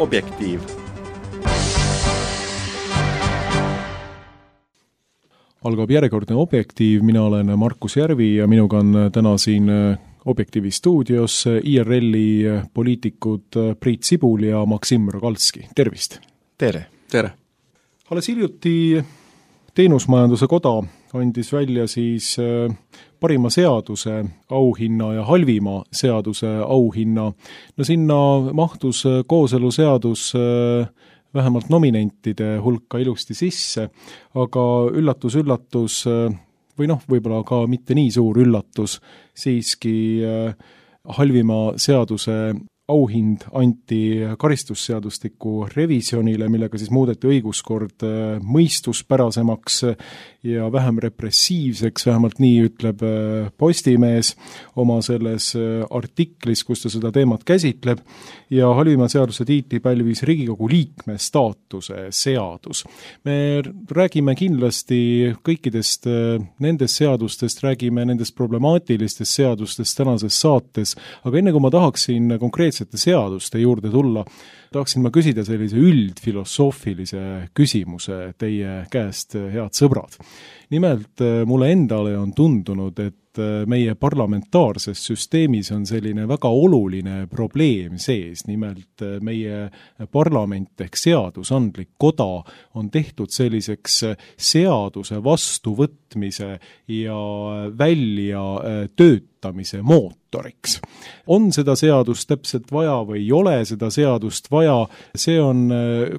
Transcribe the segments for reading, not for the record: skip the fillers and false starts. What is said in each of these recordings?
Objektiiv. Algab järjekordne Objektiiv, mina olen Markus Järvi ja minuga on täna siin Objektiivi stuudios IRL-i poliitikud Priit Sibul ja Maksim Rogalski. Tervist! Tere! Tere! Alles hiljuti Teenusmajanduse Koda andis välja siis parima seaduse auhinna ja halvima seaduse auhinna. No sinna mahtus kooseluseadus vähemalt nominentide hulka ilusti sisse, aga üllatus, või võib-olla ka mitte nii suur üllatus, siiski halvima seaduse auhind anti karistusseadustiku revisjonile, millega siis muudeti õiguskord mõistuspärasemaks ja vähem repressiivseks, vähemalt nii ütleb Postimees oma selles artiklis, kus ta seda teemat käsitleb, ja halvima seaduse tiitli pälvis Riigikogu liikme staatuse seadus. Me räägime kindlasti kõikidest nendest seadustest, räägime nendest problemaatilistest seadustest tänases saates, aga enne kui ma tahaksin konkreetsete seaduste juurde tulla, tahaksin ma küsida sellise üldfilosoofilise küsimuse teie käest, head sõbrad. Nimelt mulle endale on tundunud, et meie parlamentaarses süsteemis on selline väga oluline probleem sees. Nimelt meie parlament ehk seadusandlik koda on tehtud selliseks seaduse vastuvõtmise ja välja töötamise mootoriks. On seda seadust täpselt vaja või ei ole seda seadust vaja, see on,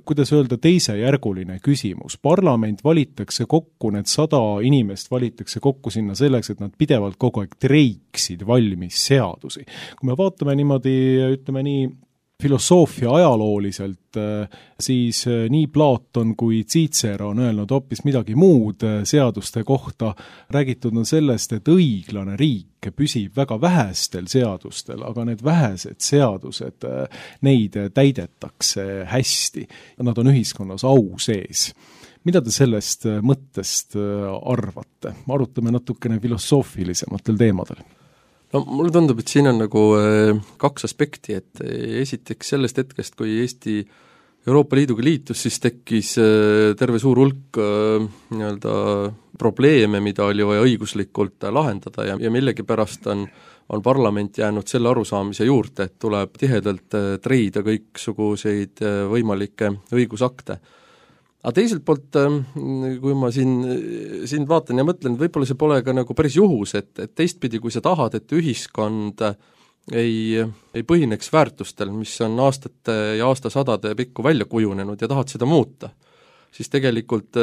kuidas öelda, teisejärguline küsimus. Parlament valitakse kokku, need 100 inimest valitakse kokku sinna selleks, et nad pidevalt kogu aeg treiksid valmis seadusi. Kui me vaatame niimoodi, ütleme nii, filosoofia ajalooliselt, siis nii Platon kui Cicero on öelnud hoopis midagi muud seaduste kohta. Räägitud on sellest, et õiglane riik püsib väga vähestel seadustel, aga need vähesed seadused, neid täidetakse hästi. Nad on ühiskonnas au sees. Mida te sellest mõttest arvate? Arutame natukene filosoofilisematel teemadel. No mulle tundub, et siin on nagu kaks aspekti, et esiteks sellest hetkest, kui Eesti Euroopa Liiduga liitus, siis tekkis terve suur hulk probleeme, mida oli vaja õiguslikult lahendada ja millegipärast on parlament jäänud selle arusaamise juurde, et tuleb tihedalt treida kõiksuguseid võimalikke õigusakte. Aga teiselt poolt, kui ma siin vaatan ja mõtlen, võib-olla see pole ka nagu päris juhus, et teistpidi, kui sa tahad, et ühiskond ei põhineks väärtustel, mis on aastate ja aastasadade pikku välja kujunenud ja tahad seda muuta, siis tegelikult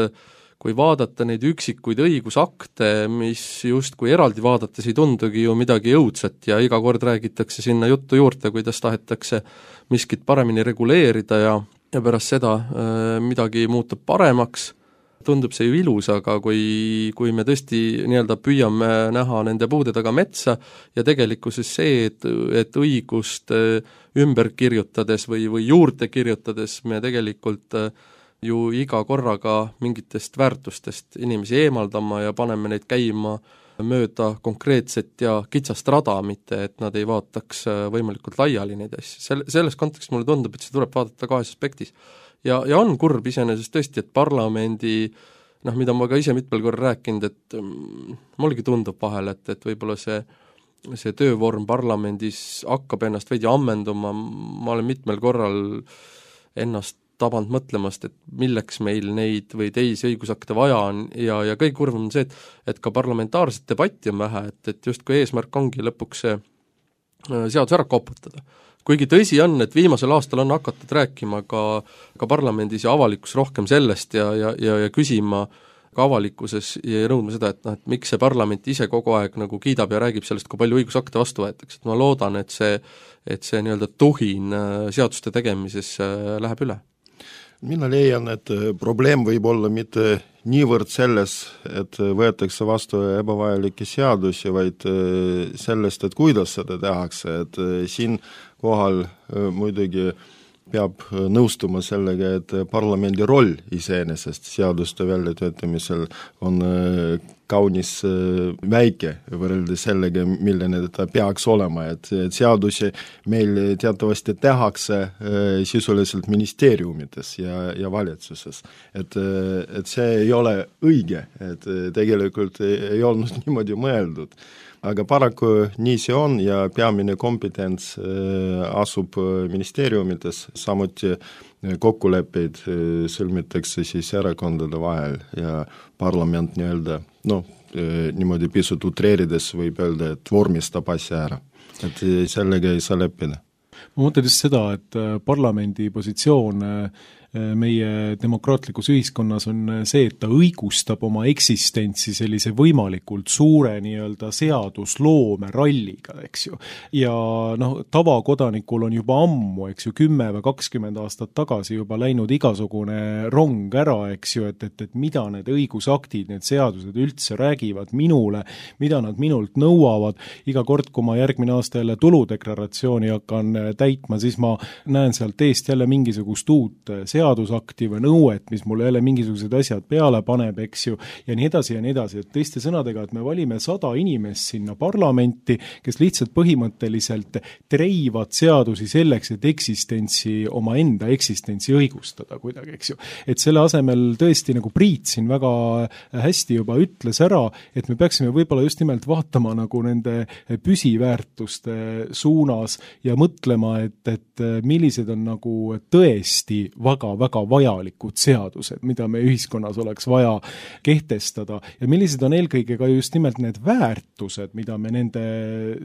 kui vaadata neid üksikuid õigusakte, mis justkui eraldi vaadates ei tundugi ju midagi õudset ja iga kord räägitakse sinna juttu juurde, kuidas tahetakse miskit paremini reguleerida ja pärast seda midagi muutub paremaks, tundub see ju ilus, aga kui me tõesti nii-öelda püüame näha nende puude taga metsa ja tegelikkuses see, et õigust ümber kirjutades või juurde kirjutades me tegelikult ju iga korraga mingitest väärtustest inimesi eemaldama ja paneme neid käima mööda konkreetset ja kitsast rada, mitte et nad ei vaataks võimalikult laiali neid asju. Selles kontekstis mulle tundub, et see tuleb vaadata kahes aspektis. Ja on kurb iseenesest tõesti, et parlamendi, mida ma ka ise mitmel korral rääkinud, et mullegi tundub vahel, et võib-olla see töövorm parlamendis hakkab ennast veidi ammenduma, ma olen mitmel korral ennast tabanud mõtlemast, et milleks meil neid või teisi õigusakte vaja on ja kõik kurvam on see, et ka parlamentaarset debatti on vähe, et justkui eesmärk ongi lõpuks see seadus ära koputada. Kuigi tõsi on, et viimasel aastal on hakatud rääkima ka parlamendis ja avalikkus rohkem sellest ja küsima ka avalikkuses ja nõudma seda, et miks see parlament ise kogu aeg nagu kiidab ja räägib sellest, kui palju õigusakte vastu võetakse. Ma loodan, et see nii-öelda tuhin seaduste tegemises läheb üle. Mina leian, et probleem võib olla mitte niivõrd selles, et võetakse vastu ebavajalikke seadusi, vaid sellest, et kuidas seda tehakse, et siin kohal muidugi peab nõustuma sellega, et parlamendi roll iseenesest seaduste väljatöötamisel on kaunis väike võrreldes sellega, milline ta peaks olema, et seadusi meil teatavasti tehakse sisuliselt ministeeriumites ja valitsuses. Et see ei ole õige, et tegelikult ei olnud niimoodi mõeldud. Aga paraku nii see on ja peamine kompetents asub ministeeriumites, samuti kokkuleppeid sõlmitakse siis erakondade vahel ja parlament niimoodi pisut utreerides võib öelda, et vormistab asja ära. Et sellega ei saa leppida. Ma mõtlen just seda, et parlamendi positsioon meie demokraatlikus ühiskonnas on see, et ta õigustab oma eksistentsi sellise võimalikult suure nii-öelda seadusloome ralliga, eks ju. Ja tavakodanikul on juba ammu, eks ju, 10 või 20 aastat tagasi juba läinud igasugune rong ära, eks ju, et mida need õigusaktid, need seadused üldse räägivad minule, mida nad minult nõuavad. Iga kord, kui ma järgmine aasta jälle tuludeklaratsiooni hakkan täitma, siis ma näen sealt eest jälle mingisugust uut seadusakti või nõuet, mis mulle jälle mingisugused asjad peale paneb, eks ju, ja nii edasi ja nii edasi. Et teiste sõnadega, et me valime 100 inimest sinna parlamenti, kes lihtsalt põhimõtteliselt treivad seadusi selleks, et oma enda eksistentsi õigustada kuidagi, eks ju. Et selle asemel tõesti, nagu Priit siin väga hästi juba ütles ära, et me peaksime võib-olla just nimelt vaatama nagu nende püsiväärtuste suunas ja mõtlema, et millised on nagu tõesti väga vajalikud seadused, mida me ühiskonnas oleks vaja kehtestada ja millised on eelkõige ka just nimelt need väärtused, mida me nende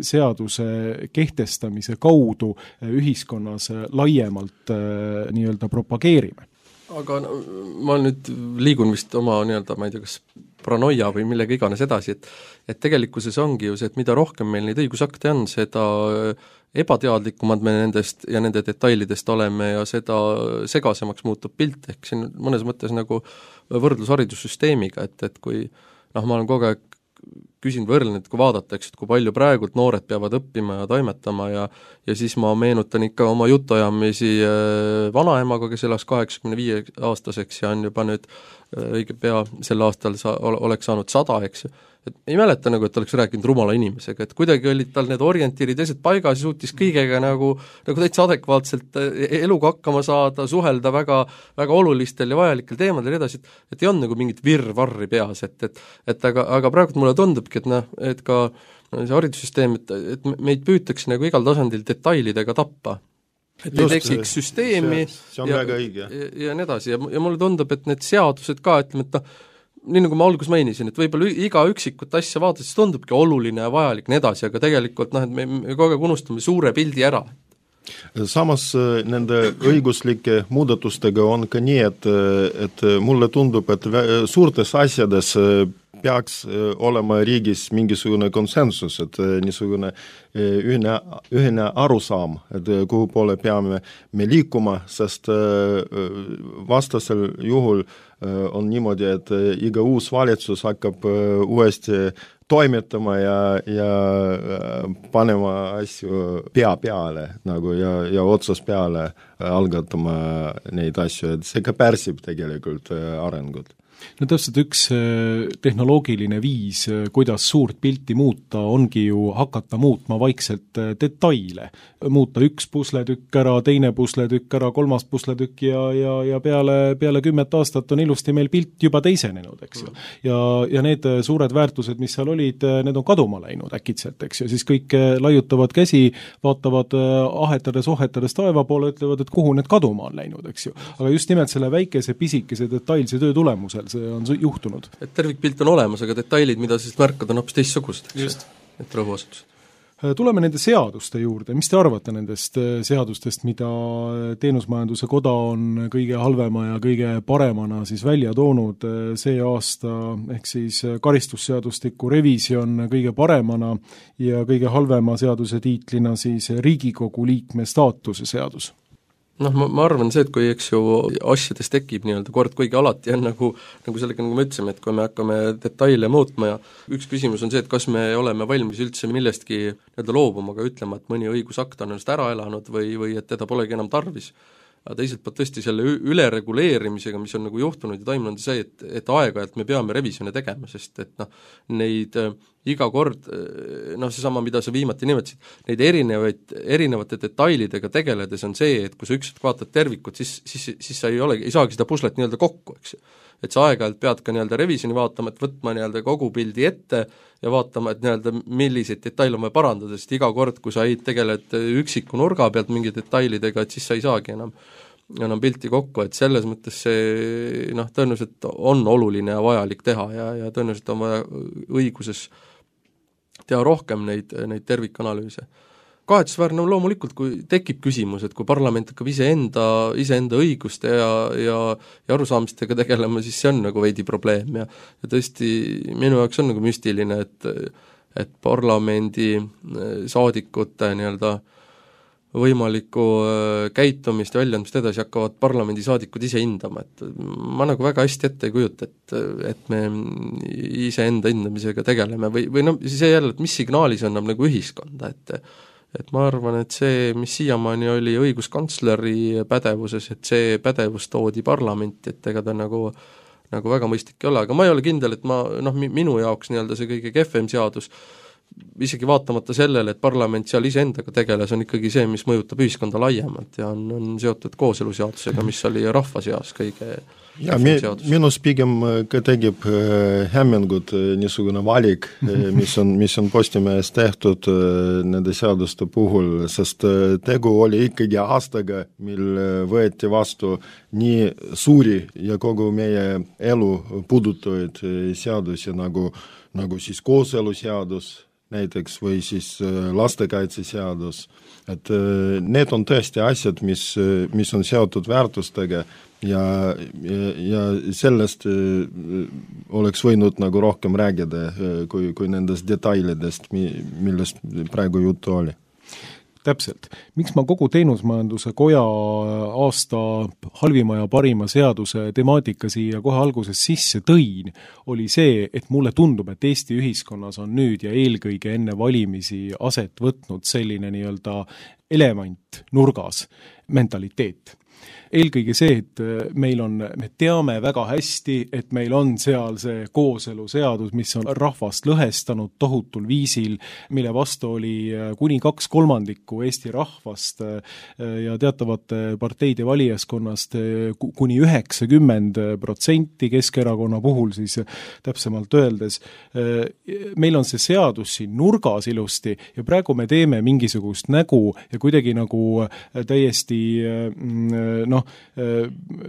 seaduse kehtestamise kaudu ühiskonnas laiemalt nii-öelda propageerime. Aga ma nüüd liigun vist oma ma ei tea, kas paranoia või millega iganes edasi, et tegelikkuses ongi ju see, et mida rohkem meil neid õigusakte on, seda ebateadlikumad me nendest ja nende detailidest oleme ja seda segasemaks muutub pilt, ehk siin mõnes mõttes nagu võrdlus haridussüsteemiga, et kui ma olen kogu aeg küsin võrlen, et kui vaadata, eks, et kui palju praegult noored peavad õppima ja toimetama ja siis ma meenutan ikka oma jutuajamisi vanaemaga, kes elas 85-aastaseks ja on juba nüüd õige pea sel aastal oleks saanud 100, eks ju. Et ei mäleta nagu, et oleks rääkinud rumala inimesega, et kuidagi olid tal need orientiirid eesed paigas ja suutis kõigega nagu täitsa adekvaatselt eluga hakkama saada, suhelda väga olulistel ja vajalikel teemadel edasi, et ei on nagu mingit virvarri peas, aga praegu mulle tundubki, et ka see haridussüsteem, et meid püütakse nagu igal tasandil detailidega tappa. Et ei tekiks süsteemi ja nii edasi ja mulle tundub, et need seadused ka, ütleme, et nii nagu ma alguses mainisin, et võib-olla iga üksikut asja vaadates tundubki oluline ja vajalik nii edasi, aga tegelikult et me kogu aeg unustame suure pildi ära. Samas nende õiguslike muudatustega on ka nii, et mulle tundub, et suurtes asjades peaks olema riigis mingisugune konsensus, et niisugune ühine arusaam, et kuhu poole peame me liikuma, sest vastasel juhul on niimoodi, et iga uus valitsus hakkab uuesti toimetama ja panema asju pea peale nagu ja otsas peale algatama neid asju, et see ka pärsib tegelikult arengut. No täpselt üks tehnoloogiline viis, kuidas suurt pilti muuta, ongi ju hakata muutma vaikselt detaile. Muuta üks pusletükk ära, teine pusletükk ära, kolmas pusletükk ja peale 10 aastat on ilusti meil pilt juba teisenenud, eks ju. Ja need suured väärtused, mis seal olid, need on kaduma läinud äkitselt, eks ju. Siis kõik laiutavad käsi, vaatavad ahetades taeva poole, ütlevad, et kuhu need kaduma on läinud, eks ju. Aga just nimelt selle väikese, pisikese, detailse töö tulemusel see on juhtunud. Et tervikpilt on olemas, aga detailid, mida siis märkad, on hoopis teistsugused. Just. Et rõhuasetus. Tuleme nende seaduste juurde. Mis te arvate nendest seadustest, mida Teenusmajanduse Koda on kõige halvema ja kõige paremana siis välja toonud see aasta, ehk siis karistusseadustiku revisjon kõige paremana ja kõige halvema seaduse tiitlina siis Riigikogu liikme staatuse seadus? Ma arvan see, et kui eks ju asjades tekib nii-öelda kord, kuigi alati on nagu sellega, nagu me ütlesime, et kui me hakkame detaile muutma ja üks küsimus on see, et kas me oleme valmis üldse millestki nii-öelda loobuma, aga ütlema, et mõni õigusakt on ennast ära elanud või et teda polegi enam tarvis. aga teiselt poolt tõesti selle ülereguleerimisega, mis on nagu juhtunud ja toimunud, see, et aeg-ajalt me peame revisjone tegema, sest et neid iga kord, seesama, mida sa viimati nimetasid, neid erinevate detailidega tegeledes on see, et kui sa ükskord vaatad tervikut, siis sa ei saagi seda puslet nii-öelda kokku, eks ju. Et sa aeg-ajalt pead ka nii-öelda revisjoni vaatama, et võtma nii-öelda kogu pildi ette ja vaatama, et nii-öelda milliseid detaile on vaja parandada, sest iga kord, kui sa tegeled üksiku nurga pealt mingi detailidega, et siis sa ei saagi enam pilti kokku, et selles mõttes see tõenäoliselt on oluline ja vajalik teha ja tõenäoliselt on vaja õiguses teha rohkem neid tervikanalüüse. Kahetsusväärne on loomulikult, kui tekib küsimus, et kui parlament hakkab iseenda õiguste ja arusaamistega tegelema, siis see on nagu veidi probleem ja tõesti minu jaoks on nagu müstiline, et parlamendi saadikute nii-öelda võimalikku käitumist ja väljaandmist edasi hakkavad parlamendisaadikud ise hindama, et ma nagu väga hästi ette ei kujuta, et me iseenda hindamisega tegeleme või see jälle, et mis signaali see annab nagu ühiskonda, et ma arvan, et see, mis siiamaani oli õiguskantsleri pädevuses, et see pädevus toodi parlamenti, et ega ta nagu väga mõistlik ei ole, aga ma ei ole kindel, et minu jaoks nii-öelda see kõige kehvem seadus, isegi vaatamata sellele, et parlament seal iseendaga tegeles, on ikkagi see, mis mõjutab ühiskonda laiemalt ja on seotud kooseluseadusega, mis oli rahva seas kõige ja minus pigem ka tegib hämmingut niisugune valik, mis on Postimehes tehtud nende seaduste puhul, sest tegu oli ikkagi aastaga, mil võeti vastu nii suuri ja kogu meie elu puudutavaid seadusi nagu siis kooseluseadus näiteks või siis lastekaitseseadus, et need on tõesti asjad, mis on seotud väärtustega ja sellest oleks võinud nagu rohkem räägida kui nendest detailidest, millest praegu juttu oli. Täpselt. Miks ma kogu Teenusmajanduse Koja aasta halvima ja parima seaduse temaatika siia kohe alguses sisse tõin, oli see, et mulle tundub, et Eesti ühiskonnas on nüüd ja eelkõige enne valimisi aset võtnud selline nii-öelda element nurgas mentaliteet. Eelkõige see, et me teame väga hästi, et meil on seal see kooseluseadus, mis on rahvast lõhestanud tohutul viisil, mille vastu oli kuni 2/3 Eesti rahvast ja teatavate parteide valijaskonnast kuni 90%, Keskerakonna puhul siis täpsemalt öeldes. Meil on see seadus siin nurgas ilusti ja praegu me teeme mingisugust nägu ja kuidagi nagu täiesti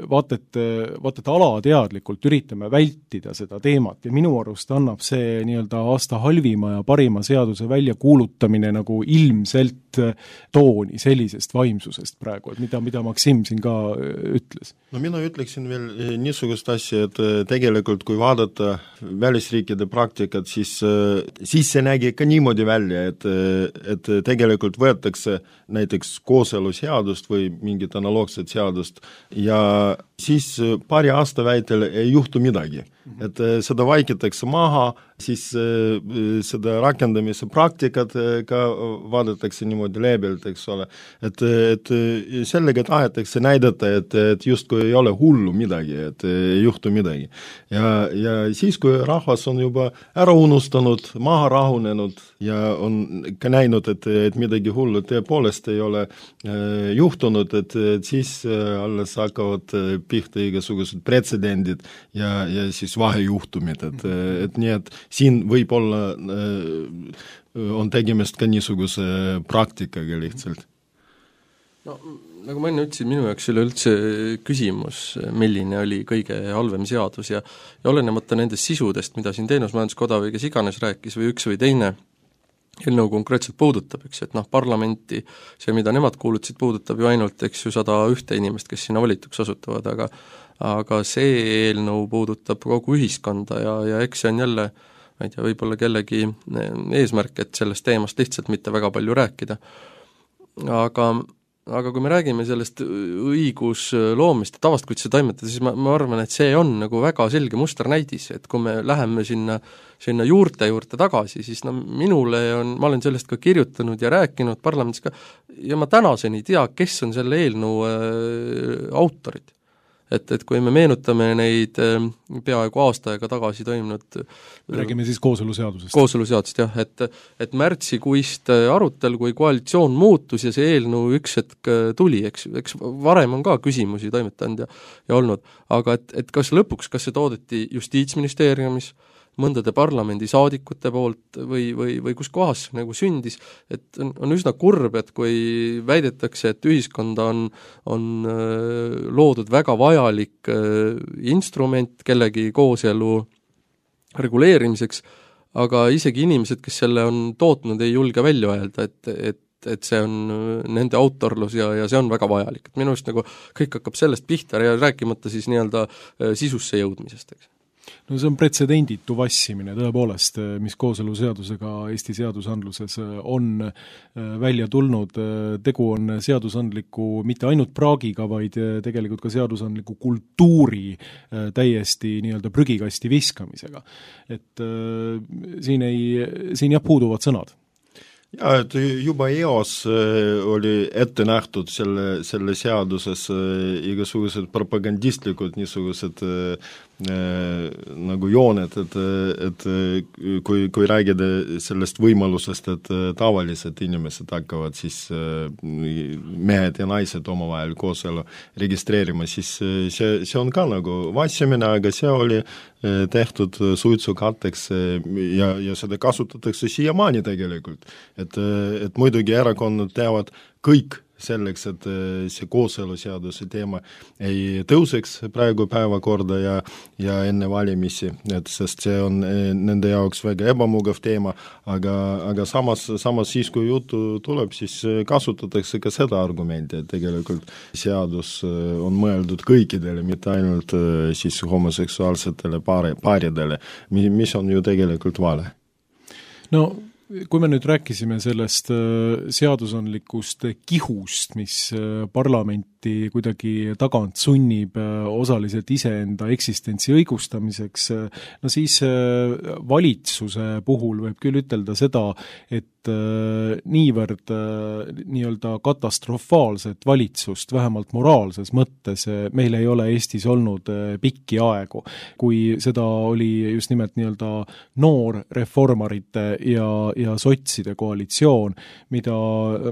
vaat et alateadlikult üritame vältida seda teemat ja minu arust annab see nii-öelda aasta halvima ja parima seaduse väljakuulutamine nagu ilmselt tooni sellisest vaimsusest praegu, et mida Maksim siin ka ütles. No mina ütleksin veel niisugust asja, et tegelikult kui vaadata välisriikide praktikat, siis see nägi ka niimoodi välja, et tegelikult võetakse näiteks kooseluseadust või mingit analoogset seadust ja siis paari aasta väitel ei juhtu midagi. Et seda vaikitakse maha, siis seda rakendamise praktikat ka vaadatakse niimoodi leebelt, eks ole. Et sellega tahetakse näidata, et justkui ei ole hullu midagi, et ei juhtu midagi. Ja siis, kui rahvas on juba ära unustanud, maha rahunenud ja on ka näinud, et midagi hullu tõepoolest ei ole juhtunud, et siis alles hakkavad pihta igasugused pretsedendid ja siis vahejuhtumid, et nii, et siin võib-olla on tegemist ka niisuguse praktikaga lihtsalt. No, nagu ma enne ütlesin, minu jaoks oli üldse küsimus, milline oli kõige halvem seadus ja olenemata nendest sisudest, mida siin Teenusmajanduskoda või kes iganes rääkis või üks või teine eelnõu konkreetselt puudutab, eks, et parlamenti, see, mida nemad kuulutasid, puudutab ju ainult, eks ju, 101 inimest, kes sinna valituks osutuvad, aga see eelnõu puudutab kogu ühiskonda ja eks see on jälle, ma ei tea, võib-olla kellegi eesmärk, et sellest teemast lihtsalt mitte väga palju rääkida. Aga aga kui me räägime sellest õigusloomist ja tavast, kuidas see toimetada, siis ma arvan, et see on nagu väga selge musternäidis, et kui me läheme sinna juurte juurde tagasi, siis ma olen sellest ka kirjutanud ja rääkinud parlamendis ka, ja ma tänaseni ei tea, kes on selle eelnõu autorid. Et kui me meenutame neid peaaegu aasta aega tagasi toimunud räägime siis kooseluseadusest. Kooseluseadusest, jah, et märtsikuist arutelu, kui koalitsioon muutus ja see eelnõu üks hetk tuli, eks varem on ka küsimusi toimetanud ja olnud, aga et kas see toodeti Justiitsministeeriumis, mõndade parlamendisaadikute poolt või kus kohas see nagu sündis, et on üsna kurb, et kui väidetakse, et ühiskonda on loodud väga vajalik instrument kellegi kooselu reguleerimiseks, aga isegi inimesed, kes selle on tootnud, ei julge välja öelda, et see on nende autorlus ja see on väga vajalik. Et minu arust nagu kõik hakkab sellest pihta ja rääkimata siis nii-öelda sisusse jõudmisest, eks. No see on pretsedenditu vassimine tõepoolest, mis kooseluseadusega Eesti seadusandluses on välja tulnud. Tegu on seadusandliku mitte ainult praagiga, vaid tegelikult ka seadusandliku kultuuri täiesti nii-öelda prügikasti viskamisega. Et siin puuduvad sõnad. Ja, et juba eos oli ette nähtud selle seaduses igasugused propagandistlikud niisugused nagu jooned, et kui räägida sellest võimalusest, et tavalised inimesed hakkavad siis mehed ja naised omavahel kooselu registreerima, siis see on ka nagu vassimine, aga see oli tehtud suitsukatteks ja seda kasutatakse siiamaani tegelikult. Et muidugi erakonnad teavad kõik selleks, et see kooseluseaduse teema ei tõuseks praegu päevakorda ja enne valimisi, sest see on nende jaoks väga ebamugav teema, aga samas siis, kui juttu tuleb, siis kasutatakse ka seda argumenti, et tegelikult seadus on mõeldud kõikidele, mitte ainult siis homoseksuaalsetele paaridele, mis on ju tegelikult vale. No kui me nüüd rääkisime sellest seadusandlikust kihust, mis parlamenti kuidagi tagant sunnib osaliselt iseenda eksistentsi õigustamiseks, no siis valitsuse puhul võib küll ütelda seda, et niivõrd nii-öelda katastrofaalset valitsust, vähemalt moraalses mõttes, meil ei ole Eestis olnud pikki aegu, kui seda oli just nimelt nii-öelda noor reformarite ja sotside koalitsioon, mida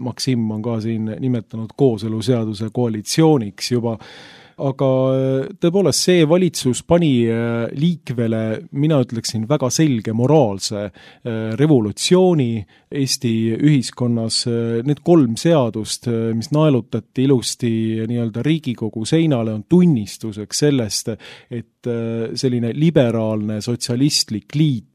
Maksim on ka siin nimetanud kooseluseaduse koalitsiooniks juba, aga tõepoolest see valitsus pani liikvele, mina ütleksin, väga selge moraalse revolutsiooni Eesti ühiskonnas. Need 3 seadust, mis naelutati ilusti nii-öelda Riigikogu seinale, on tunnistuseks sellest, et selline liberaalne sotsialistlik liit,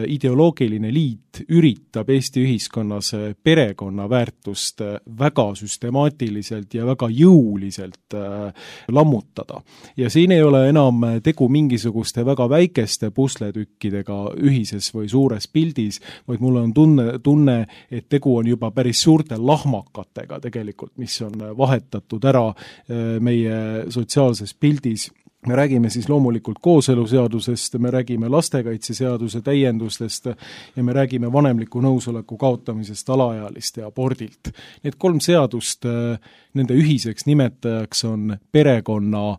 ideoloogiline liit üritab Eesti ühiskonnas perekonna väärtust väga süstemaatiliselt ja väga jõuliselt lammutada. Ja siin ei ole enam tegu mingisuguste väga väikeste pusletükkidega ühises või suures pildis, vaid mul on tunne, et tegu on juba päris suurte lahmakatega tegelikult, mis on vahetatud ära meie sotsiaalses pildis. Me räägime siis loomulikult kooseluseadusest, me räägime lastekaitseseaduse täiendustest ja me räägime vanemliku nõusoleku kaotamisest alaealiste abordilt. Need 3 seadust, nende ühiseks nimetajaks on perekonna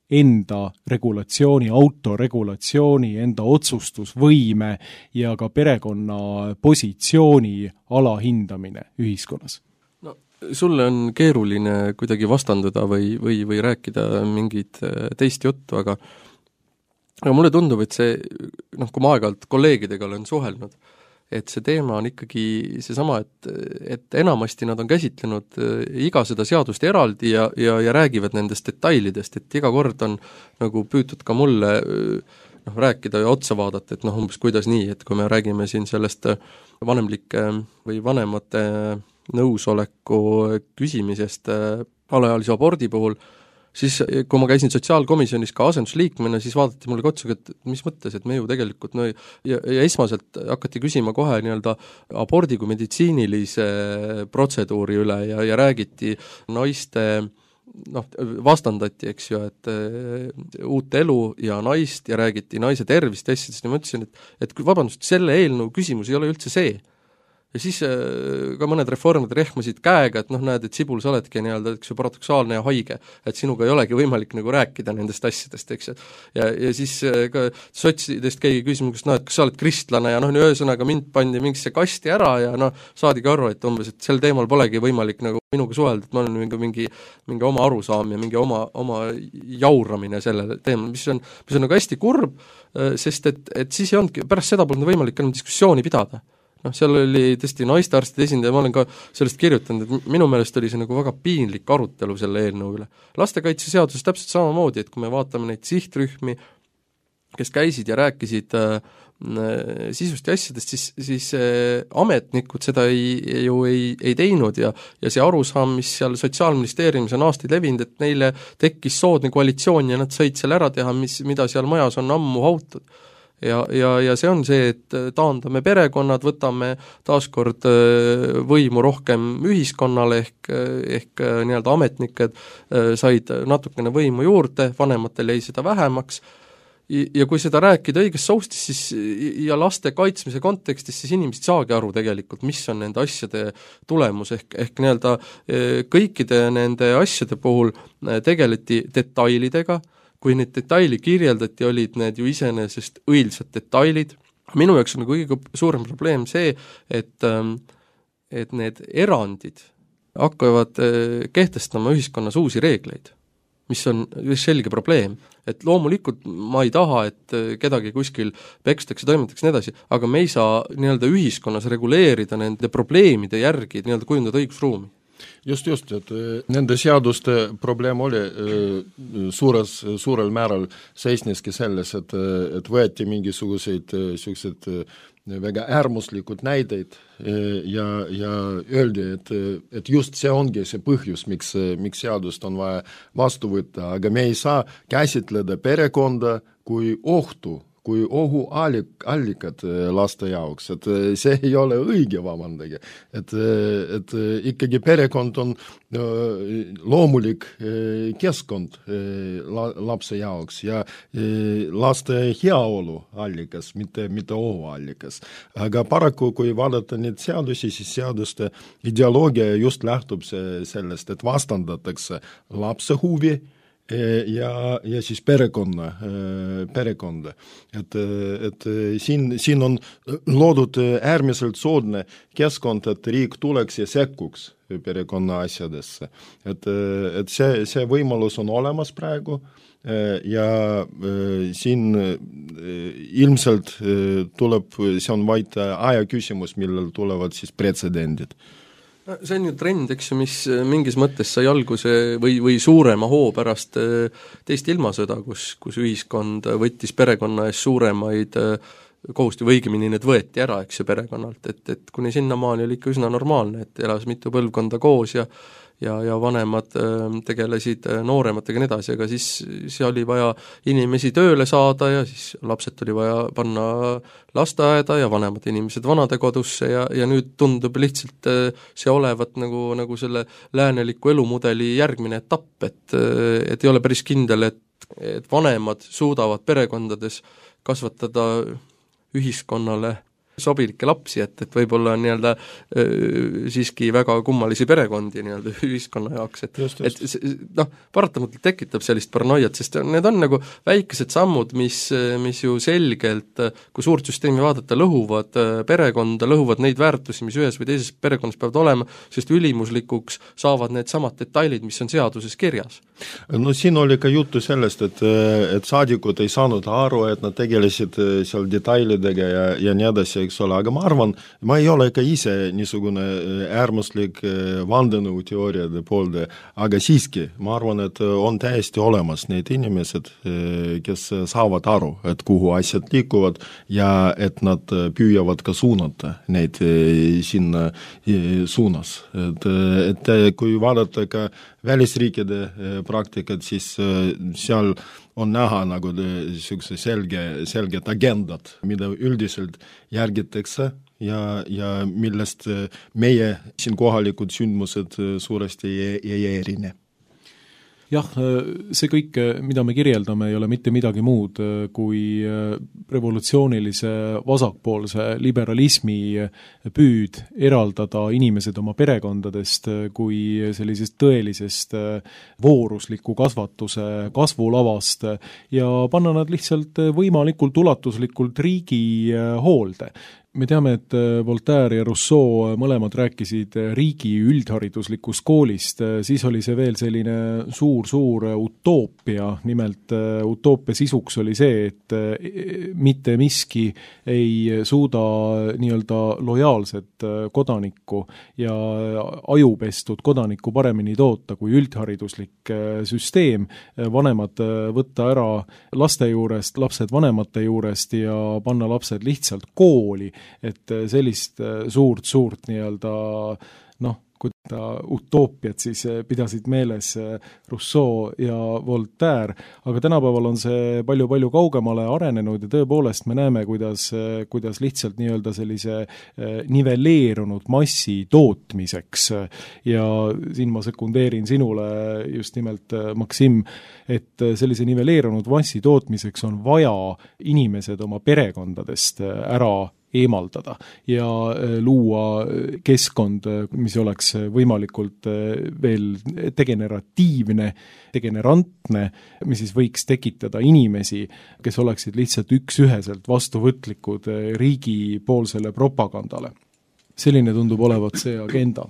enda regulatsiooni, autoregulatsiooni, enda otsustusvõime ja ka perekonna positsiooni alahindamine ühiskonnas. Sulle on keeruline kuidagi vastanduda või rääkida mingit teist juttu, aga mulle tundub, et see, kui ma aeg-ajalt kolleegidega olen suhelnud, et see teema on ikkagi seesama, et enamasti nad on käsitlenud iga seda seadust eraldi ja räägivad nendest detailidest, et iga kord on nagu püütud ka mulle rääkida ja otsa vaadata, et umbes kuidas nii, et kui me räägime siin sellest vanemlike või vanemate nõusoleku küsimisest alaealise abordi puhul, siis kui ma käisin sotsiaalkomisjonis ka asendusliikmena, siis vaadati mulle otsaga, et mis mõttes, et me ju tegelikult ja esmaselt hakati küsima kohe nii-öelda abordi kui meditsiinilise protseduuri üle ja räägiti naiste vastandati, eks ju, et uut elu ja naist ja räägiti naise tervist asjadest ja ma ütlesin, et vabandust, selle eelnõu küsimus ei ole üldse see. Ja siis ka mõned reformid rehmasid käega, et näed, et Sibul, sa oledki nii-öelda, eks ju, paradoksaalne ja haige, et sinuga ei olegi võimalik nagu rääkida nendest asjadest, eks ju. Ja siis ka sotsidest keegi küsimus, et kas sa oled kristlane ja ühesõnaga mind pandi mingisse kasti ära ja saadigi aru, et umbes, et sel teemal polegi võimalik nagu minuga suhelda, et ma olen mingi oma arusaam ja mingi oma jauramine sellele teemal, mis on nagu hästi kurb, sest et siis ei olnudki, pärast seda polnud võimalik enam diskussiooni pidada. Seal oli tõesti naistearstide esindaja, ma olen ka sellest kirjutanud, et minu meelest oli see nagu väga piinlik arutelu selle eelnõu üle. Lastekaitseseaduses täpselt samamoodi, et kui me vaatame neid sihtrühmi, kes käisid ja rääkisid sisust ja asjadest, siis ametnikud seda ei teinud ja see arusaam, mis seal Sotsiaalministeeriumis on aastaid levinud, et neile tekkis soodne koalitsioon ja nad said selle ära teha, mida seal majas on ammu hautud. Ja see on see, et taandame perekonnad, võtame taaskord võimu rohkem ühiskonnale ehk nii-öelda ametnikud said natukene võimu juurde, vanematel jäi seda vähemaks ja kui seda rääkida õiges soustis siis, ja laste kaitsmise kontekstis, siis inimesed saagi aru tegelikult, mis on nende asjade tulemus ehk nii-öelda kõikide nende asjade puhul tegeleti detailidega. Kui neid detaili kirjeldati, olid need ju iseenesest õilsad detailid. Minu jaoks on kõige suurem probleem see, et need erandid hakkavad kehtestama ühiskonnas uusi reegleid, mis on selge probleem. Et loomulikult ma ei taha, et kedagi kuskil pekstakse, toimetatakse nii edasi, aga me ei saa nii-öelda ühiskonnas reguleerida nende probleemide järgi, nii-öelda kujundada õigusruumi. Just, et nende seaduste probleem oli suurel määral seisneski selles, et võeti mingisuguseid väga äärmuslikud näideid ja öeldi, et just see ongi see põhjus, miks seadust on vaja vastu võtta, aga me ei saa käsitleda perekonda kui ohtu, kui ohuallikad laste jaoks, et see ei ole õige, vabandage. Et ikkagi perekond on loomulik keskkond lapse jaoks ja laste heaolu allikas, mitte ohuallikas. Aga paraku, kui vaadata neid seadusi, siis seaduste ideoloogia just lähtub sellest, et vastandatakse lapse huvi ja siis perekonda. Et siin on loodud äärmiselt soodne keskkond, et riik tuleks ja sekkuks perekonna asjadesse. Et see võimalus on olemas praegu ja siin ilmselt tuleb, see on vaid aja küsimus, millal tulevad siis pretsedendid. See on ju trend, eks ju, mis mingis mõttes sai alguse või suurema hoo pärast teist ilmasõda, kus ühiskond võttis perekonna ees suuremaid kohustusi, või õigemini need võeti ära, eks ju, perekonnalt, et kuni sinnamaani oli ikka üsna normaalne, et elas mitu põlvkonda koos ja vanemad tegelesid noorematega nii edasi, aga siis oli vaja inimesi tööle saada ja siis lapsed tuli vaja panna lasteaeda ja vanemad inimesed vanadekodusse ja nüüd tundub lihtsalt see olevat nagu selle lääneliku elumudeli järgmine etapp, et ei ole päris kindel, et vanemad suudavad perekondades kasvatada ühiskonnale sobilikke lapsi, et võib-olla on nii-öelda siiski väga kummalisi perekondi nii-öelda ühiskonna jaoks, et paratamatult tekitab sellist paranoiat, sest need on nagu väikesed sammud, mis ju selgelt, kui suurt süsteemi vaadata, lõhuvad perekonda, lõhuvad neid väärtusi, mis ühes või teises perekonnas peavad olema, sest ülimuslikuks saavad need samad detailid, mis on seaduses kirjas. No siin oli ka juttu sellest, et saadikud ei saanud aru, et nad tegelesid seal detailidega ja nii edasi, eks ole, aga ma arvan, ma ei ole ka ise niisugune äärmuslik vandenõuteooriade poolde, aga siiski, ma arvan, et on täiesti olemas need inimesed, kes saavad aru, et kuhu asjad liikuvad ja et nad püüavad ka suunata neid sinna suunas. Et kui vaadata ka välisriikide praktikat, siis seal on näha nagu niisuguse selged agendad, mida üldiselt järgitakse ja millest meie siin kohalikud sündmused suuresti ei erine. Jah, see kõik, mida me kirjeldame, ei ole mitte midagi muud kui revolutsioonilise vasakpoolse liberalismi püüd eraldada inimesed oma perekondadest kui sellisest tõelisest voorusliku kasvatuse kasvulavast ja panna nad lihtsalt võimalikult ulatuslikult riigi hoolde. Me teame, et Voltaire ja Rousseau mõlemad rääkisid riigi üldhariduslikust koolist, siis oli see veel selline suur utoopia, nimelt utoopia sisuks oli see, et mitte miski ei suuda nii-öelda lojaalset kodanikku ja ajupestud kodanikku paremini toota kui üldhariduslik süsteem, vanemad võtta ära laste juurest, lapsed vanemate juurest ja panna lapsed lihtsalt kooli, et sellist suurt nii-öelda kui ta utoopiat siis pidasid meeles Rousseau ja Voltaire, aga tänapäeval on see palju kaugemale arenenud ja tõepoolest me näeme, kuidas lihtsalt nii-öelda sellise nivelleerunud massi tootmiseks ja siin ma sekundeerin sinule just nimelt, Maksim, et sellise nivelleerunud massi tootmiseks on vaja inimesed oma perekondadest ära eemaldada ja luua keskkond, mis oleks võimalikult veel degenerantne, mis siis võiks tekitada inimesi, kes oleksid lihtsalt üksüheselt vastuvõtlikud riigipoolsele propagandale. Selline tundub olevat see agenda.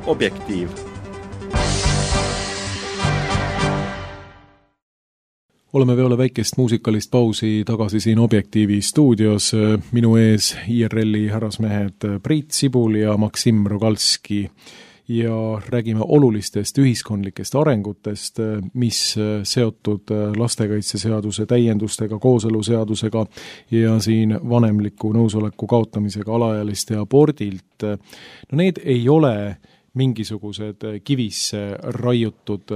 Objektiiv. Oleme peale väikest muusikalist pausi tagasi siin Objektiivi stuudios. Minu ees IRL-i härrasmehed Priit Sibul ja Maksim Rogalski ja räägime olulistest ühiskondlikest arengutest, mis seotud lastekaitseseaduse täiendustega, kooseluseadusega ja siin vanemliku nõusoleku kaotamisega alaealiste abordilt. No need ei ole mingisugused kivisse raiutud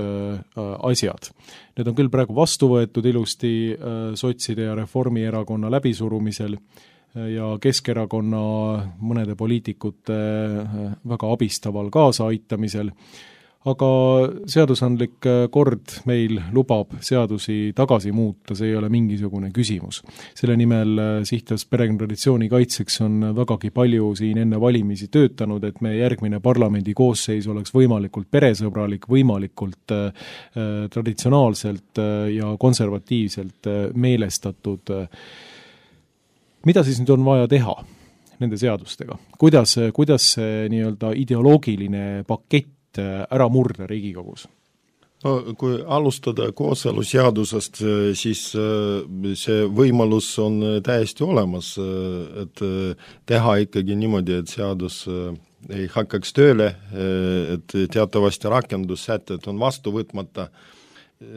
asjad. Need on küll praegu vastu võetud ilusti sotside ja Reformierakonna läbisurumisel ja Keskerakonna mõnede poliitikute väga abistaval kaasaitamisel, aga seadusandlik kord meil lubab seadusi tagasi muuta, see ei ole mingisugune küsimus. Selle nimel Sihtas perekonnatraditsiooni kaitseks on vägagi palju siin enne valimisi töötanud, et meie järgmine parlamendi koosseis oleks võimalikult peresõbralik, võimalikult traditsionaalselt ja konservatiivselt meelestatud. Mida siis nüüd on vaja teha nende seadustega? Kuidas see nii-öelda ideoloogiline pakett ära murda Riigikogus? No, kui alustada kooseluseadusest, siis see võimalus on täiesti olemas, et teha ikkagi niimoodi, et seadus ei hakkaks tööle, et teatavasti rakendussätted on vastu võtmata,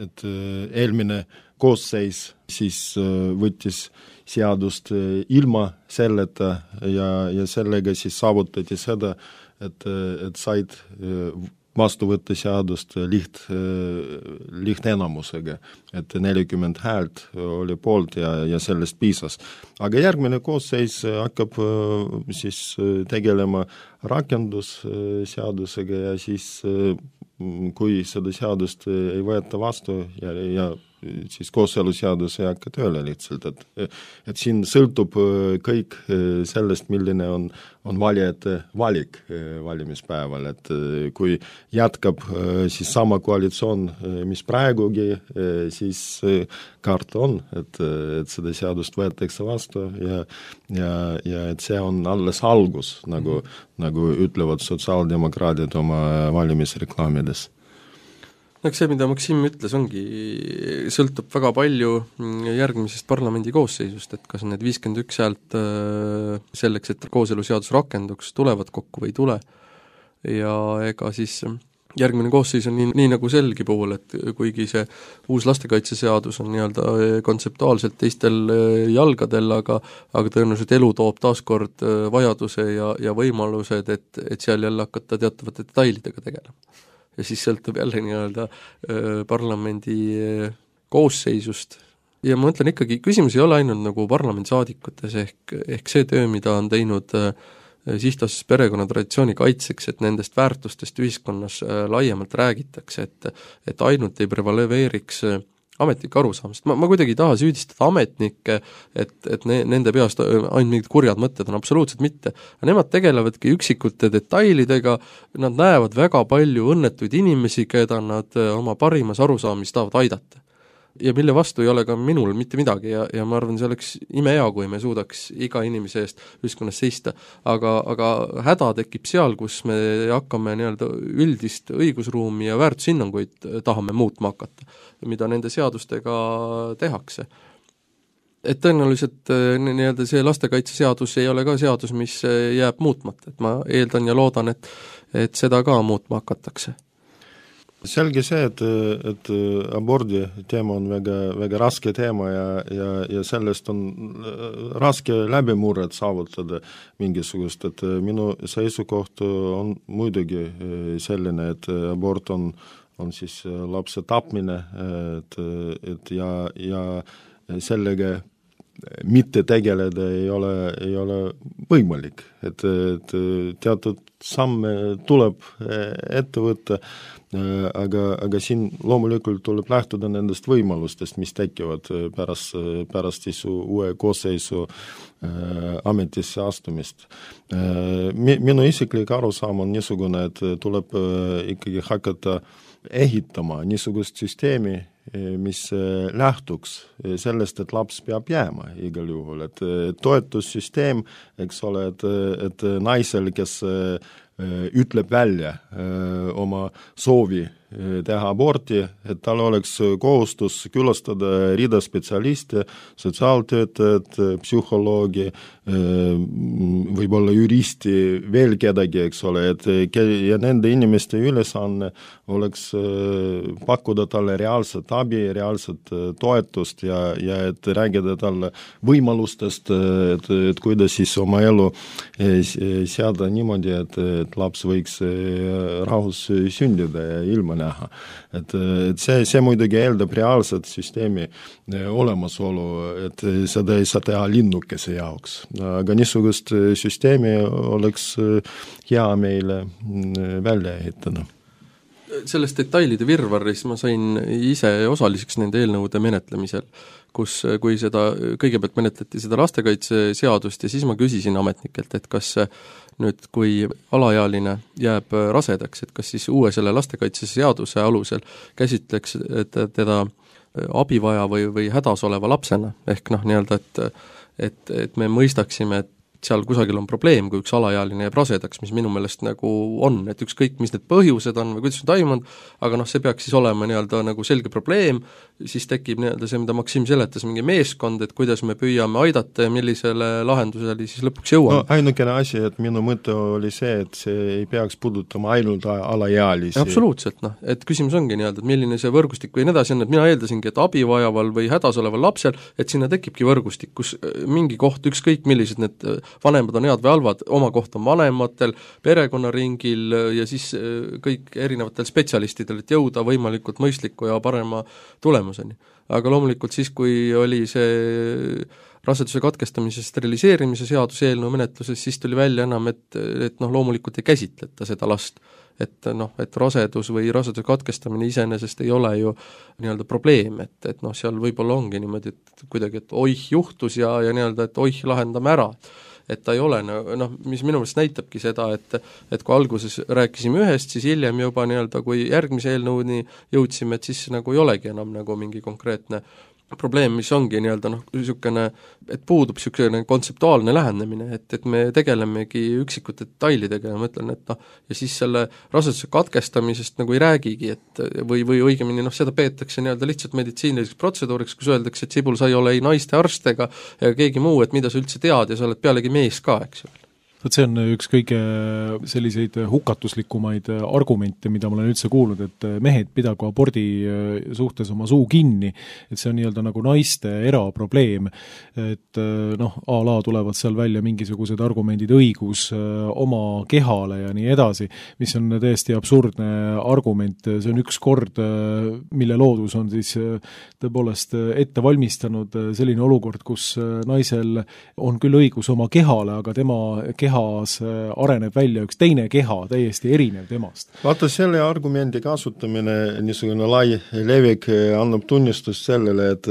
et eelmine koosseis siis võttis seadust ilma selleta ja sellega siis saavutati seda, et said vastu võtta seadust lihtenamusega, et 40 häält oli poolt ja sellest piisas. Aga järgmine koosseis hakkab siis tegelema rakendusseadusega ja siis kui seda seadust ei võeta vastu ja siis kooseluseadus ei hakka tööle lihtsalt, et siin sõltub kõik sellest, milline on valijate valik valimispäeval, et kui jätkab siis sama koalitsioon, mis praegugi, siis karta on, et seda seadust võetakse vastu ja et see on alles algus, nagu ütlevad sotsiaaldemokraadid oma valimisreklaamides. Eks see, mida Maksim ütles, sõltub väga palju järgmisest parlamendi koosseisust, et kas need 51 häält selleks, et kooseluseadus rakenduks, tulevad kokku või ei tule. Ja ega siis järgmine koosseis on nii nagu selgi puhul, et kuigi see uus lastekaitseseadus on nii-öelda kontseptuaalselt teistel jalgadel, aga tõenäoliselt elu toob taaskord vajaduse ja võimalused, et seal jälle hakata teatavate detailidega tegelema. Ja siis sõltub jälle nii-öelda parlamendi koosseisust. Ja ma mõtlen ikkagi, küsimus ei ole ainult nagu parlamendisaadikutes ehk see töö, mida on teinud Sihtas perekonnatraditsiooni kaitseks, et nendest väärtustest ühiskonnas laiemalt räägitakse, et ainult ei prevaleeriks ametnike arusaamist. Ma kuidagi ei taha süüdistada ametnikke, et nende peast ainult mingid kurjad mõtted on, absoluutselt mitte. Nemad tegelevadki üksikute detailidega, nad näevad väga palju õnnetuid inimesi, keda nad oma parimas arusaamis tahavad aidata. Ja mille vastu ei ole ka minul mitte midagi ja ma arvan, see oleks imehea, kui me suudaks iga inimese eest ühiskonnas seista. Aga häda tekib seal, kus me hakkame nii-öelda üldist õigusruumi ja väärtushinnanguid tahame muutma hakata, mida nende seadustega tehakse. Et tõenäoliselt nii-öelda see lastekaitseseadus ei ole ka seadus, mis jääb muutmata, et ma eeldan ja loodan, et seda ka muutma hakatakse. Selge see, et abordi teema on väga raske teema ja sellest on raske läbimurret saavutada mingisugust, et minu seisukoht on muidugi selline, et abort on siis lapse tapmine, et ja sellega mitte tegeleda ei ole võimalik, et teatud samme tuleb ette võtta, aga siin loomulikult tuleb lähtuda nendest võimalustest, mis tekivad pärast siis uue koosseisu ametisse astumist. Minu isiklik arusaam on niisugune, et tuleb ikkagi hakata ehitama niisugust süsteemi, mis lähtuks sellest, et laps peab jääma igal juhul, et toetussüsteem, eks ole, et naisel, kes ütleb välja oma soovi teha aborti, et tal oleks kohustus külastada rida spetsialiste, sotsiaaltöötajad, psühholoogi, võib-olla juristi, veel kedagi, eks ole, ja nende inimeste ülesanne oleks pakkuda talle reaalset abi, reaalset toetust ja et räägida talle võimalustest, et kuidas siis oma elu seada niimoodi, et laps võiks rahus sündida ja ilma näha. Et see muidugi eeldab reaalset süsteemi olemasolu, et seda ei saa teha linnukese jaoks. Aga niisugust süsteemi oleks hea meile välja ehitada. Sellest detailide virvarris ma sain ise osaliseks nende eelnõude menetlemisel, kui seda, kõigepealt menetleti seda lastekaitseseadust ja siis ma küsisin ametnikelt, et kas nüüd, kui alaealine jääb rasedaks, et kas siis uue selle lastekaitseseaduse alusel käsitleks teda abivaja või hädas oleva lapsena, ehk nii-öelda, et me mõistaksime, et seal kusagil on probleem, kui üks alaealine jääb rasedaks, mis minu meelest nagu on, et ükskõik, mis need põhjused on või kuidas on toimunud, aga see peaks siis olema nii-öelda nagu selge probleem, siis tekib nii-öelda see, mida Maksim seletas, mingi meeskond, et kuidas me püüame aidata ja millisele lahendusele siis lõpuks jõuame. No ainukene asi, et minu mõte oli see, et see ei peaks puudutama ainult alaealisi. Absoluutselt, et küsimus ongi nii-öelda, et milline see võrgustik või nii edasi on, et mina eeldasingi, et abivajaval või hädas oleval lapsel, et sinna tekibki võrgustik, kus mingi koht, ükskõik millised need vanemad on head või halvad, oma koht on vanematel, perekonnaringil ja siis kõik erinevatel spetsialistidel, et jõuda võimalikult mõistliku ja parema tulemuseni. Aga loomulikult siis, kui oli see raseduse katkestamise steriliseerimise seaduse eelnõu menetluses, siis tuli välja enam, et loomulikult ei käsitleta seda last. Et rasedus või raseduse katkestamine iseenesest ei ole ju nii-öelda probleem, et seal võib-olla ongi niimoodi, et kuidagi, et oih juhtus ja nii-öelda, et oih lahendame ära. Et ta ei ole, mis minu meelest näitabki seda, et kui alguses rääkisime ühest, siis hiljem juba nii-öelda, kui järgmise eelnõuni jõudsime, et siis nagu ei olegi enam nagu mingi konkreetne probleem, mis ongi nii-öelda niisugune, et puudub niisugune kontseptuaalne lähenemine, et me tegelemegi üksikute detailidega ja ma ütlen, et ja siis selle raseduse katkestamisest nagu ei räägigi, et või õigemini seda peetakse nii-öelda lihtsalt meditsiiniliseks protseduuriks, kus öeldakse, et Sibul, sa ei ole ei naiste arst ega keegi muu, et mida sa üldse tead ja sa oled pealegi mees ka, eks ju. Vot see on üks kõige selliseid hukatuslikumaid argumente, mida ma olen üldse kuulnud, et mehed pidagu abordi suhtes oma suu kinni, et see on nii-öelda nagu naiste eraprobleem, et a la tulevad seal välja mingisugused argumendid, õigus oma kehale ja nii edasi, mis on täiesti absurdne argument, see on üks kord, mille loodus on siis tõepoolest ette valmistanud selline olukord, kus naisel on küll õigus oma kehale, aga tema kehas areneb välja üks teine keha, täiesti erinev temast. Vaata, selle argumendi kasutamine, niisugune lai levik annab tunnistust sellele, et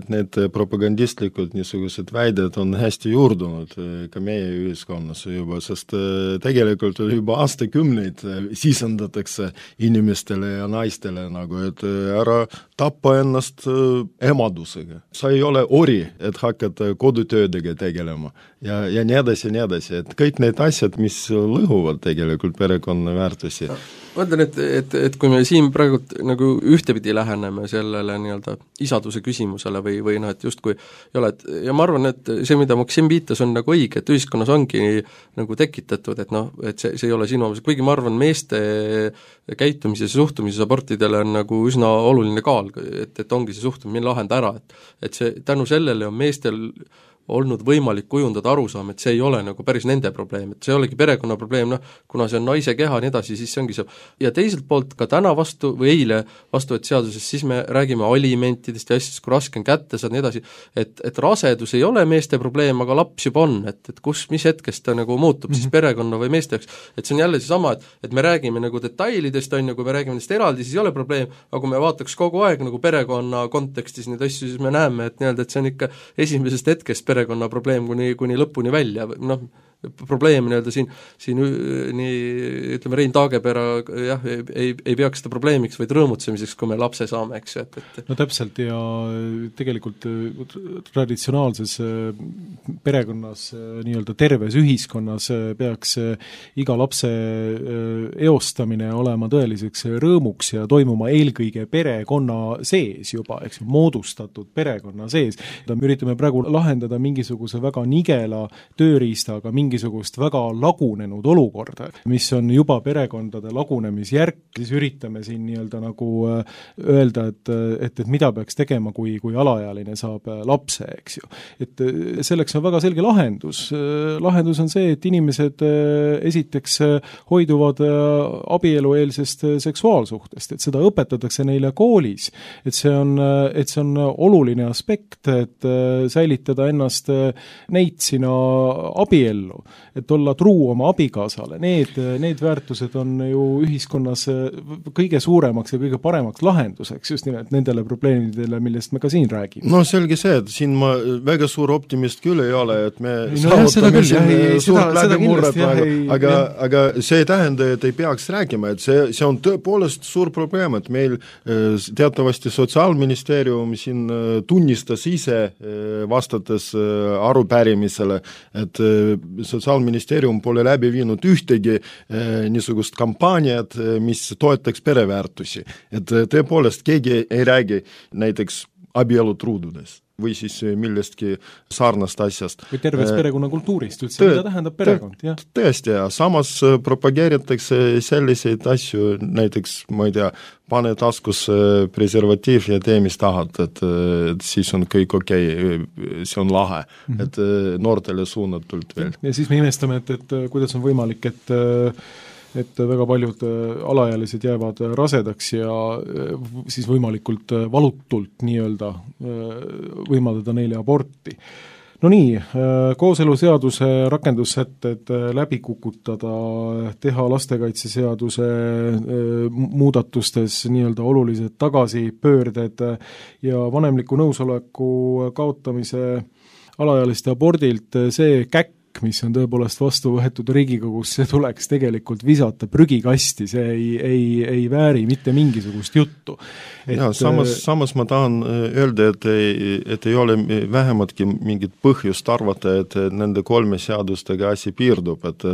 need propagandistlikud niisugused väided on hästi juurdunud ka meie ühiskonnas juba, sest tegelikult juba aastakümneid sisendatakse inimestele ja naistele nagu, et ära tappa ennast emadusega. Sa ei ole ori, et hakata kodutöödega tegelema ja nii edasi, et kõik need asjad, mis lõhuvad tegelikult perekonna väärtusi. Ma ütlen, et kui me siin praegu nagu ühtepidi läheneme sellele nii-öelda isaduse küsimusele või et justkui ei ole, ja ma arvan, et see, mida Maksim viitas, on nagu õige, et ühiskonnas ongi nagu tekitatud, et see ei ole sinu omas, kuigi ma arvan, meeste käitumises ja suhtumises abortidele on nagu üsna oluline kaal, et ongi see suhtumine lahenda ära, et see tänu sellele on meestel olnud võimalik kujundada arusaam, et see ei ole nagu päris nende probleem, et see ei olegi perekonna probleem, kuna see on naise keha ja nii edasi, siis see ongi see. Ja teiselt poolt ka täna eile vastuvõet seaduses, siis me räägime alimentidest ja asjadest, kui raske on kätte saada, nii edasi, et rasedus ei ole meeste probleem, aga laps juba on, et mis hetkest ta nagu muutub siis perekonna või meeste jaoks, et see on jälle seesama, et me räägime nagu detailidest, kui me räägime nendest eraldi, siis ei ole probleem, aga kui me vaataks kogu aeg nagu perekonna kontekstis neid asju, siis me näeme, et see on ikka esimesest hetkest perekonna probleem kuni lõpuni välja, probleem nii-öelda siin nii ütleme, Rein Taagepera jah, ei peaks seda probleemiks, vaid rõõmutsemiseks, kui me lapse saame, eks ju, et no täpselt, ja tegelikult traditsionaalses perekonnas, nii-öelda terves ühiskonnas peaks iga lapse eostamine olema tõeliseks rõõmuks ja toimuma eelkõige perekonna sees juba, eks ju, moodustatud perekonna sees. Me üritame praegu lahendada mingisuguse väga nigela tööriistaga mingisugust väga lagunenud olukorda, mis on juba perekondade lagunemisjärk, siis üritame siin nii-öelda nagu öelda, et mida peaks tegema, kui alaealine saab lapse, eks ju. Et selleks on väga selge lahendus. Lahendus on see, et inimesed esiteks hoiduvad abielueelsest seksuaalsuhtest, et seda õpetatakse neile koolis, et see on oluline aspekt, et säilitada ennast neitsina abiellu, et olla truu oma abikaasale. Need väärtused on ju ühiskonnas kõige suuremaks ja kõige paremaks lahenduseks just nimelt nendele probleemidele, millest me ka siin räägime. No selge see, et siin ma väga suur optimist küll ei ole, et me saavutame siin suurt läbimurret, aga see ei tähenda, et ei peaks rääkima, et see on tõepoolest suur probleem, et meil teatavasti Sotsiaalministeerium siin tunnistas ise vastates arupärimisele, et Sotsiaalministeerium pole läbi viinud ühtegi niisugust kampaaniat, mis toetaks pereväärtusi. Et tõepoolest keegi ei räägi näiteks abielutruududest või siis millestki sarnast asjast. Või terves perekonnakultuurist üldse, mida tähendab perekond, jah? Tõesti, ja samas propageeritakse selliseid asju, näiteks, ma ei tea, pane taskus preservatiiv ja tee, mis tahad, et siis on kõik okei, see on lahe, et noortele suunatult veel. Ja siis me imestame, et kuidas on võimalik, et väga paljud alaealised jäävad rasedaks ja siis võimalikult valutult nii-öelda võimaldada neile aborti. No nii, kooseluseaduse rakendussätted läbi kukutada, teha lastekaitseseaduse muudatustes nii-öelda olulised tagasipöörded ja vanemliku nõusoleku kaotamise alaealiste abordilt, see käkk, mis on tõepoolest vastu võetud Riigikogus, see tuleks tegelikult visata prügikasti, see ei vääri mitte mingisugust juttu. Ja, samas ma tahan öelda, et ei ole vähematki mingit põhjust arvata, et nende 3 seadustega asi piirdub, et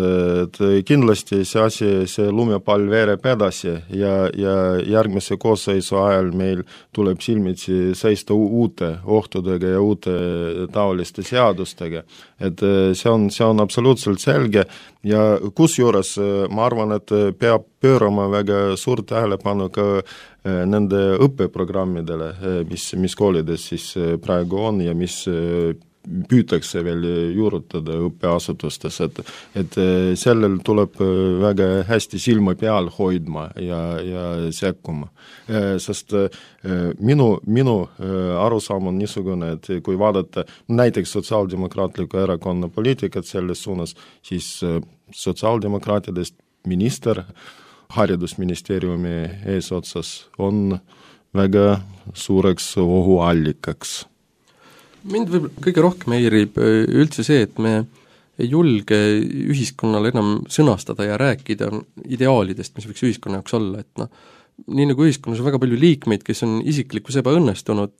kindlasti see lumepall veereb edasi ja järgmise koosseisu ajal meil tuleb silmitsi seista uute ohtudega ja uute taoliste seadustega, et see on absoluutselt selge ja kusjuures ma arvan, et peab pöörama väga suurt tähelepanu ka nende õppeprogrammidele, mis koolides siis praegu on ja mis püütakse veel juurutada õppeasutustes, et sellel tuleb väga hästi silma peal hoidma ja sekkuma. Sest minu arusaam on niisugune, et kui vaadata näiteks Sotsiaaldemokraatliku erakonna poliitikat selles suunas, siis sotsiaaldemokraatidest minister haridusministeeriumi eesotsas on väga suureks ohuallikaks. Mind võib kõige rohkem häirib üldse see, et me ei julge ühiskonnale enam sõnastada ja rääkida ideaalidest, mis võiks ühiskonna jaoks olla, et nii nagu ühiskonnas on väga palju liikmeid, kes on isiklikus ebaõnnestunud,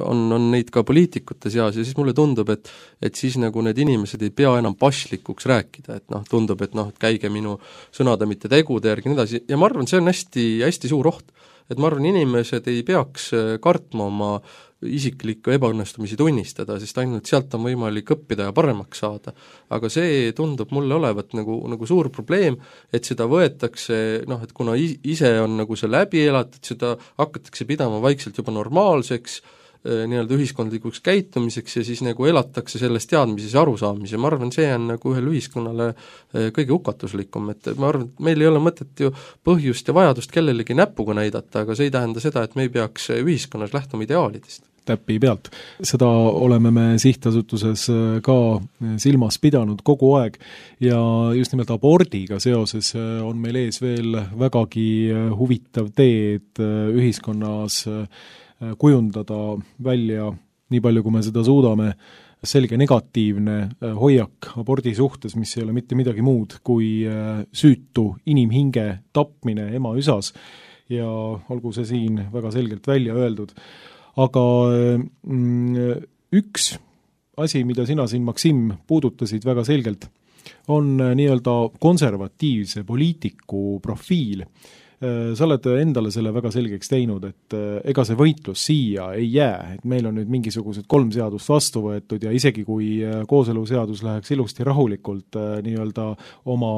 on neid ka poliitikute seas ja siis mulle tundub, et siis nagu need inimesed ei pea enam pašlikuks rääkida, et tundub, et käige minu sõnade mitte tegude järgi ja nii edasi, ja ma arvan, see on hästi, hästi suur oht. Et ma arvan, inimesed ei peaks kartma oma isiklikku ebaõnnestumisi tunnistada, sest ainult sealt on võimalik õppida ja paremaks saada. Aga see tundub mulle olevat nagu suur probleem, et seda võetakse, et kuna ise on nagu see läbi elatud, seda hakatakse pidama vaikselt juba normaalseks, nii-öelda ühiskondlikuks käitumiseks ja siis nagu elatakse sellest teadmises ja arusaamise. Ma arvan, see on nagu ühel ühiskonnale kõige hukatuslikum, et ma arvan, et meil ei ole mõtet ju põhjust ja vajadust kellelegi näpuga näidata, aga see ei tähenda seda, et me ei peaks ühiskonnas lähtuma ideaalidest. Täppi pealt. Seda oleme me sihtasutuses ka silmas pidanud kogu aeg ja just nimelt abordiga seoses on meil ees veel vägagi huvitav tee, et ühiskonnas kujundada välja, nii palju kui me seda suudame, selge negatiivne hoiak abordi suhtes, mis ei ole mitte midagi muud kui süütu inimhinge tapmine ema üsas ja olgu see siin väga selgelt välja öeldud. Aga üks asi, mida sina siin, Maksim, puudutasid väga selgelt, on nii-öelda konservatiivse poliitiku profiil. Sa oled endale selle väga selgeks teinud, et ega see võitlus siia ei jää, et meil on nüüd mingisugused 3 seadust vastu võetud ja isegi kui kooseluseadus läheks ilusti rahulikult nii-öelda oma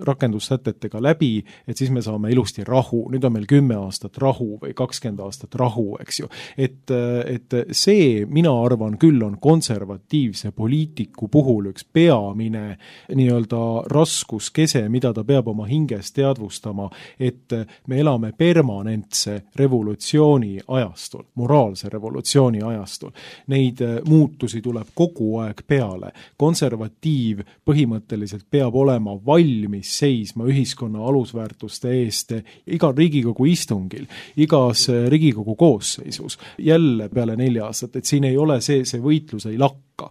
rakendussätetega läbi, et siis me saame ilusti rahu, nüüd on meil 10 aastat rahu või 20 aastat rahu, eks ju. Et see, mina arvan küll, on konservatiivse poliitiku puhul üks peamine nii-öelda raskuskese, mida ta peab oma hinges teadvustama, et me elame permanentse revolutsiooni ajastul, moraalse revolutsiooni ajastul. Neid muutusi tuleb kogu aeg peale. Konservatiiv põhimõtteliselt peab olema valmis seisma ühiskonna alusväärtuste eest igal Riigikogu istungil, igas Riigikogu koosseisus, jälle peale 4 aastat, et siin ei ole see võitlus ei lakka.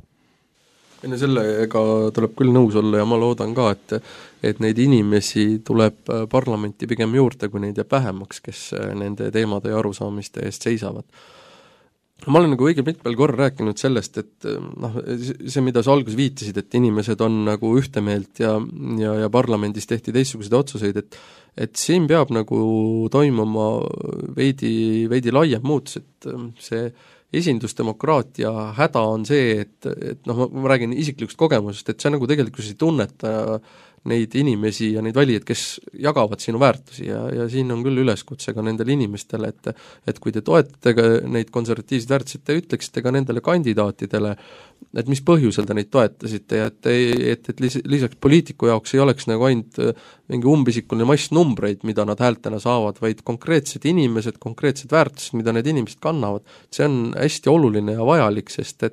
Enne sellega tuleb küll nõus olla ja ma loodan ka, et neid inimesi tuleb parlamenti pigem juurde, kui neid jääb vähemaks, kes nende teemade ja arusaamiste eest seisavad. Ma olen nagu õige mitmel korral rääkinud sellest, et see, mida sa alguses viitasid, et inimesed on nagu ühte meelt ja parlamendis tehti teistsuguseid otsuseid, et siin peab nagu toimuma veidi laiem muutus, et see esindusdemokraatia häda on see, et ma räägin isiklikust kogemusest, et see nagu tegelikult ei tunneta neid inimesi ja neid valijaid, kes jagavad sinu väärtusi ja siin on küll üleskutse ka nendele inimestele, et kui te toetate neid konservatiivseid väärtusi, te ütleksite ka nendele kandidaatidele, et mis põhjusel te neid toetasite ja et lisaks poliitiku jaoks ei oleks nagu ainult mingi umbisikuline mass numbreid, mida nad häältena saavad, vaid konkreetsed inimesed, konkreetsed väärtused, mida need inimesed kannavad. See on hästi oluline ja vajalik, sest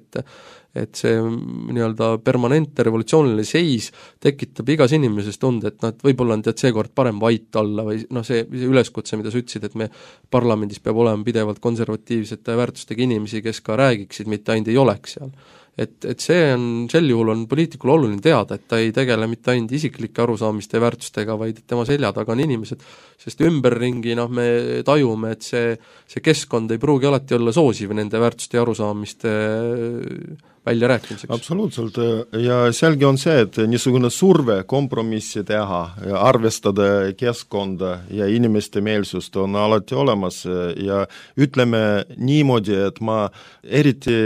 et see nii-öelda permanentne revolutsiooniline seis tekitab igas inimeses tunde, et võib-olla on seekord parem vait olla või see üleskutse, mida sa ütlesid, et me parlamendis peab olema pidevalt konservatiivsete väärtustega inimesi, kes ka räägiksid, mitte ainult ei oleks seal. Et see on, sel juhul on poliitikul oluline teada, et ta ei tegele mitte ainult isiklike arusaamiste ja väärtustega, vaid tema selja taga on inimesed, sest ümberringi me tajume, et see keskkond ei pruugi alati olla soosiv nende väärtuste ja arusaamiste väljarääkimiseks. Absoluutselt, ja selge on see, et niisugune surve kompromissi teha, arvestada keskkonda ja inimeste meelsust on alati olemas ja ütleme niimoodi, et ma eriti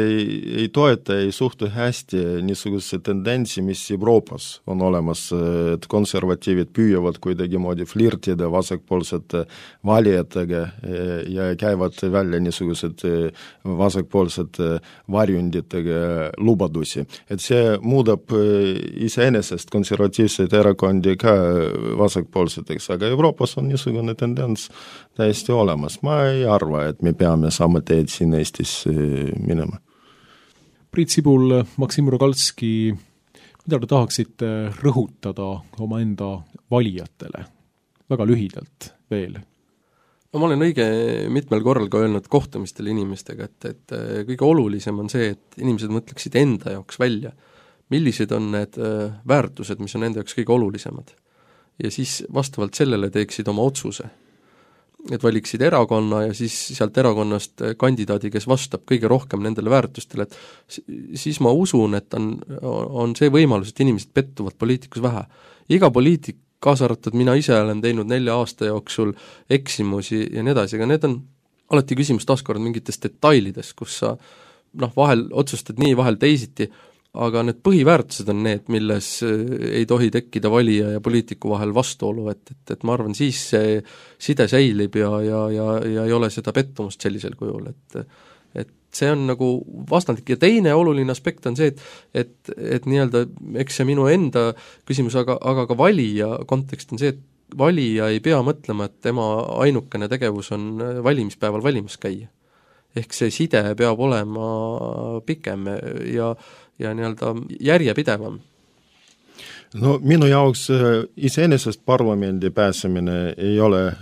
ei toeta, ei suhtu hästi niisuguse tendentsi, mis Euroopas on olemas, et konservatiivid püüavad kuidagi moodi flirtida vasakpoolsete valijatega ja käivad välja niisugused vasakpoolsed varjunditega lubadusi. Et see muudab iseenesest konservatiivseid erakondi ka vasakpoolseteks, aga Euroopas on niisugune tendents täiesti olemas. Ma ei arva, et me peame sama teed siin Eestis minema. Priit Sibul, Maksim Rogalski, mida te tahaksite rõhutada omaenda valijatele? Väga lühidalt veel. Ma olen õige mitmel korral ka öelnud kohtumistel inimestega, et kõige olulisem on see, et inimesed mõtleksid enda jaoks välja, millised on need väärtused, mis on enda jaoks kõige olulisemad. Ja siis vastavalt sellele teeksid oma otsuse. Et valiksid erakonna ja siis sealt erakonnast kandidaadi, kes vastab kõige rohkem nendele väärtustele, et siis ma usun, et on see võimalus, et inimesed pettuvad poliitikus vähe. Iga poliitik, kaasa arvatud mina ise olen teinud 4 aasta jooksul eksimusi ja nii edasi, aga need on alati küsimus taaskord mingites detailides, kus sa vahel otsustad nii, vahel teisiti, aga need põhiväärtused on need, milles ei tohi tekkida valija ja poliitiku vahel vastuolu, et ma arvan, siis see side säilib ja ei ole seda pettumust sellisel kujul, et see on nagu vastandlik ja teine oluline aspekt on see, et nii-öelda, eks see minu enda küsimus, aga ka valija kontekst on see, et valija ei pea mõtlema, et tema ainukene tegevus on valimispäeval valimas käia. Ehk see side peab olema pikem ja nii-öelda järjepidevam. No minu jaoks iseenesest parlamendi pääsemine ei ole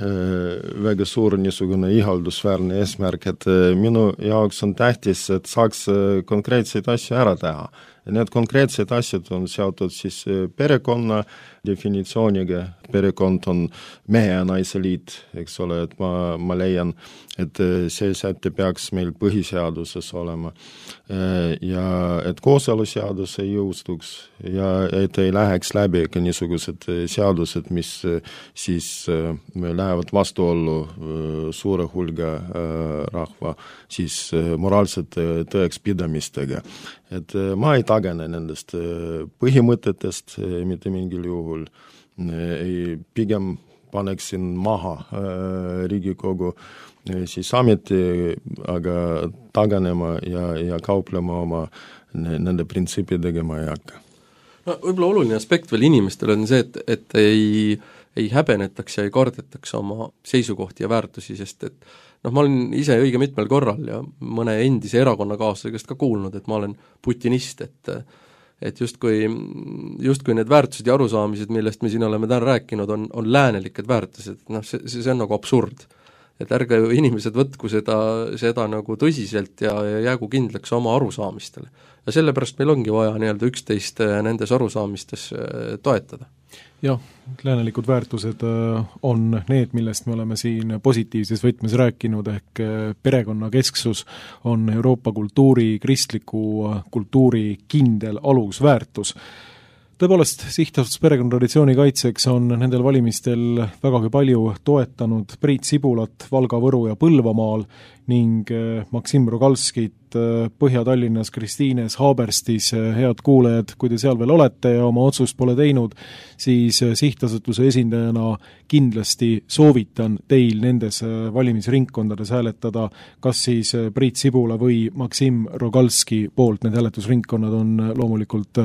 väga suur niisugune ihaldusväärne eesmärk, et minu jaoks on tähtis, et saaks konkreetseid asju ära teha. Need konkreetsed asjad on seotud siis perekonna definitsiooniga, perekond on mehe ja naise liit, eks ole, et ma leian, et see säte peaks meil põhiseaduses olema ja et kooseluseadus ei jõustuks ja et ei läheks läbi ka niisugused seadused, mis siis lähevad vastuollu suure hulga rahva siis moraalsete tõekspidamistega. Et ma ei tagane nendest põhimõtetest mitte mingil juhul, pigem paneksin maha Riigikogu siis ameti, aga taganema ja kauplema oma nende printsiipidega ma ei hakka. No võib-olla oluline aspekt veel inimestel on see, et ei häbenetaks ja ei kardetaks oma seisukohti ja väärtusi, sest et ma olen ise õige mitmel korral ja mõne endise erakonnakaaslasega käest ka kuulnud, et ma olen putinist, et justkui need väärtused ja arusaamised, millest me siin oleme täna rääkinud, on läänelikud väärtused, see on nagu absurd. Et ärge inimesed võtku seda nagu tõsiselt ja jäägu kindlaks oma arusaamistele. Ja sellepärast meil ongi vaja nii-öelda üksteist nendes arusaamistes toetada. Jah, läänelikud väärtused on need, millest me oleme siin positiivses võtmes rääkinud, ehk perekonnakesksus on Euroopa kultuuri, kristliku kultuuri kindel alusväärtus. Tõepoolest, Sihtasutus perekonnatraditsiooni kaitseks on nendel valimistel vägagi palju toetanud Priit Sibulat Valga, Võru ja Põlvamaal ning Maksim Rogalskit Põhja-Tallinnas, Kristiines, Haaberstis. Head kuulajad, kui te seal veel olete ja oma otsust pole teinud, siis Sihtasutuse esindajana kindlasti soovitan teil nendes valimisringkondades hääletada, kas siis Priit Sibula või Maksim Rogalski poolt. Need hääletusringkonnad on loomulikult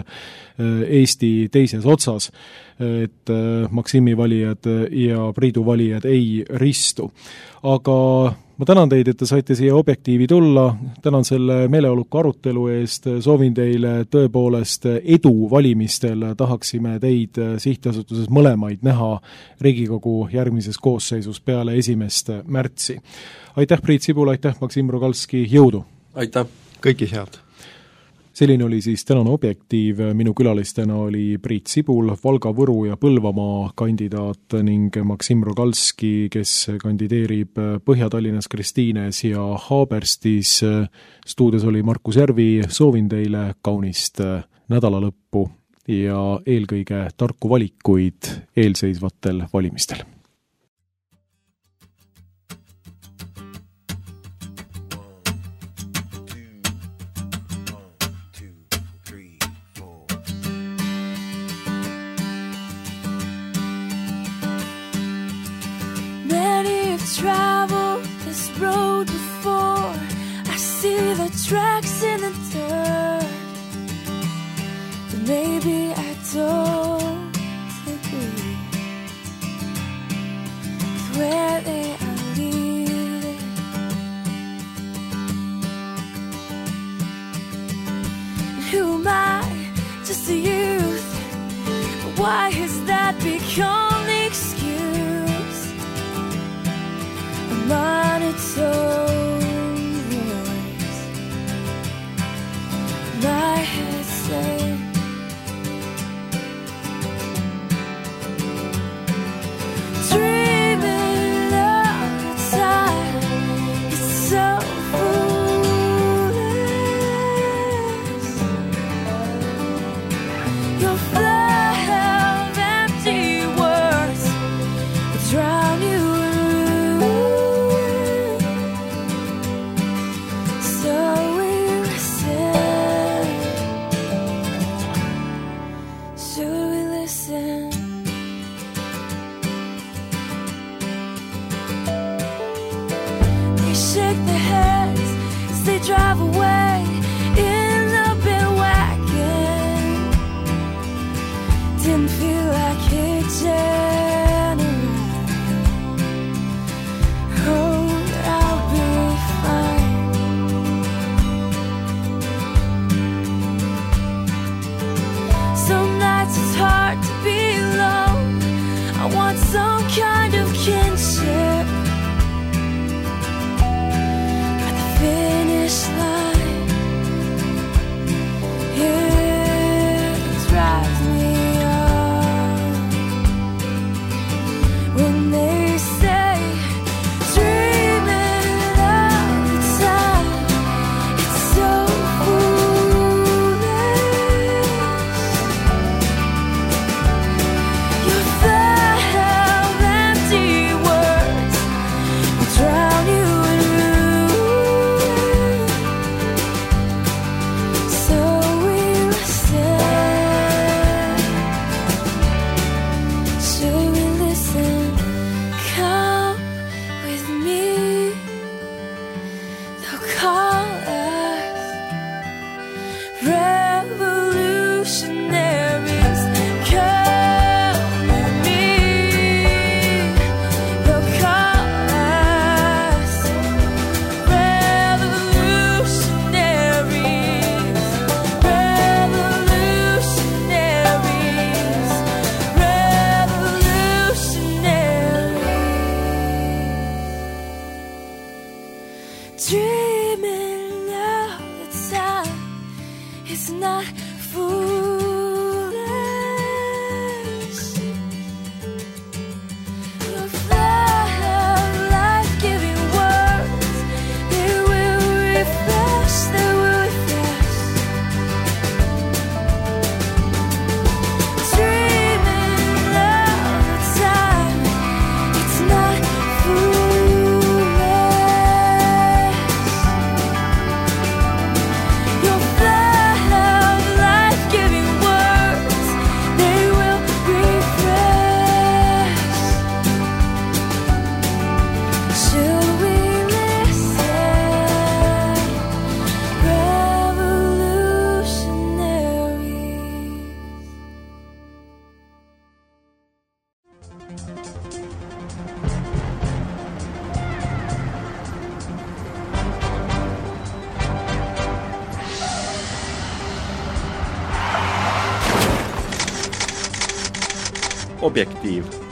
Eesti teises otsas, et Maksimi valijad ja Priidu valijad ei ristu. Aga ma tänan teid, et te saite siia Objektiivi tulla, tänan selle meeleoluka arutelu eest, soovin teile tõepoolest edu valimistel, tahaksime teid Sihtasutuses mõlemaid näha Riigikogu järgmises koosseisus peale 1. märtsi. Aitäh, Priit Sibula, aitäh, Maksim Rogalski, jõudu! Aitäh! Kõiki head! Selline oli siis tänane Objektiiv, minu külalistena oli Priit Sibul, Valga, Võru ja Põlvamaa kandidaat ning Maksim Rogalski, kes kandideerib Põhja-Tallinnas, Kristiines ja Haaberstis. Stuudios oli Markus Järvi, soovin teile kaunist nädalalõppu ja eelkõige tarku valikuid eelseisvatel valimistel. Traveled this road before. I see the tracks in the dirt, but maybe I don't agree with where they are leading. And who am I? Just a youth. But why has that become the excuse? Monotone voice, my head said, dreaming of the time, it's so foolish. Your flood of empty words will drown you. Drive away in the big wagon. Didn't feel like hitching a ride. Oh, I'll be fine. Some nights it's hard dreaming of the time. It's not foolish. Your flood of life-giving words, they will refresh, they will refresh. Dreaming of the time. It's not foolish. Your flood of life-giving words, they will refresh. Should we listen, revolutionaries? Objektiiv.